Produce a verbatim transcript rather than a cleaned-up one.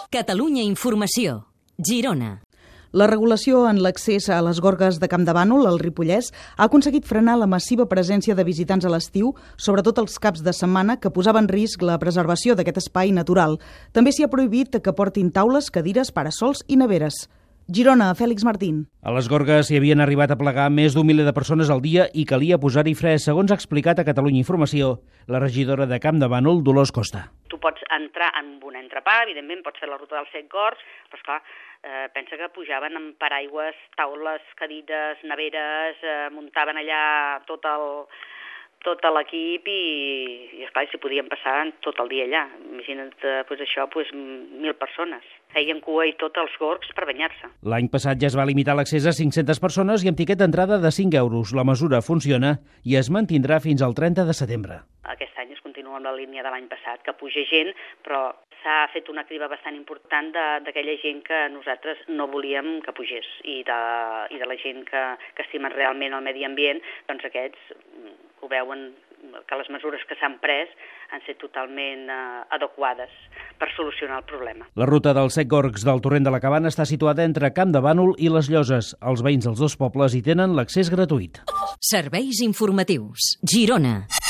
Catalunya Informació, Girona. La regulació en l'accés a les gorgues de Campdevànol, al Ripollès, ha aconseguit frenar la massiva presència de visitants a l'estiu, sobretot els caps de setmana, que posava en risc la preservació d'aquest espai natural. També s'hi ha prohibit que portin taules, cadires, parasols i neveres. Girona, Fèlix Martín. A les gorgues hi havien arribat a plegar més d'un miler de persones al dia i calia posar-hi fre, segons ha explicat a Catalunya Informació la regidora de Campdevànol, Dolors Costa. Tu pots entrar en un entrepà, evidentment pots fer la ruta dels set gorgs, però esclar, eh, pensa que pujaven amb paraigües, taules, cadires, neveres, eh, muntaven allà tot el... tot l'equip i, i esclar, s'hi podien passar tot el dia allà. Imagina't, pues, això, pues, mil persones. Feien cua i tot els gorgs per banyar-se. L'any passat ja es va limitar l'accés a cinc-centes persones i amb tiquet d'entrada de cinc euros. La mesura funciona i es mantindrà fins al trenta de setembre. Aquest any es continua amb la línia de l'any passat, que puja gent, però s'ha fet una criba bastant important d'aquella gent que nosaltres no volíem que pugés i de, i de la gent que, que estimen realment el medi ambient, doncs aquests ho veuen que les mesures que s'han pres han set totalment eh, adequades per solucionar el problema. La ruta dels set gorgs del Torrent de la Cabana està situada entre Campdevànol i les Lloses. Els veïns dels dos pobles hi tenen l'accés gratuït. Serveis informatius. Girona.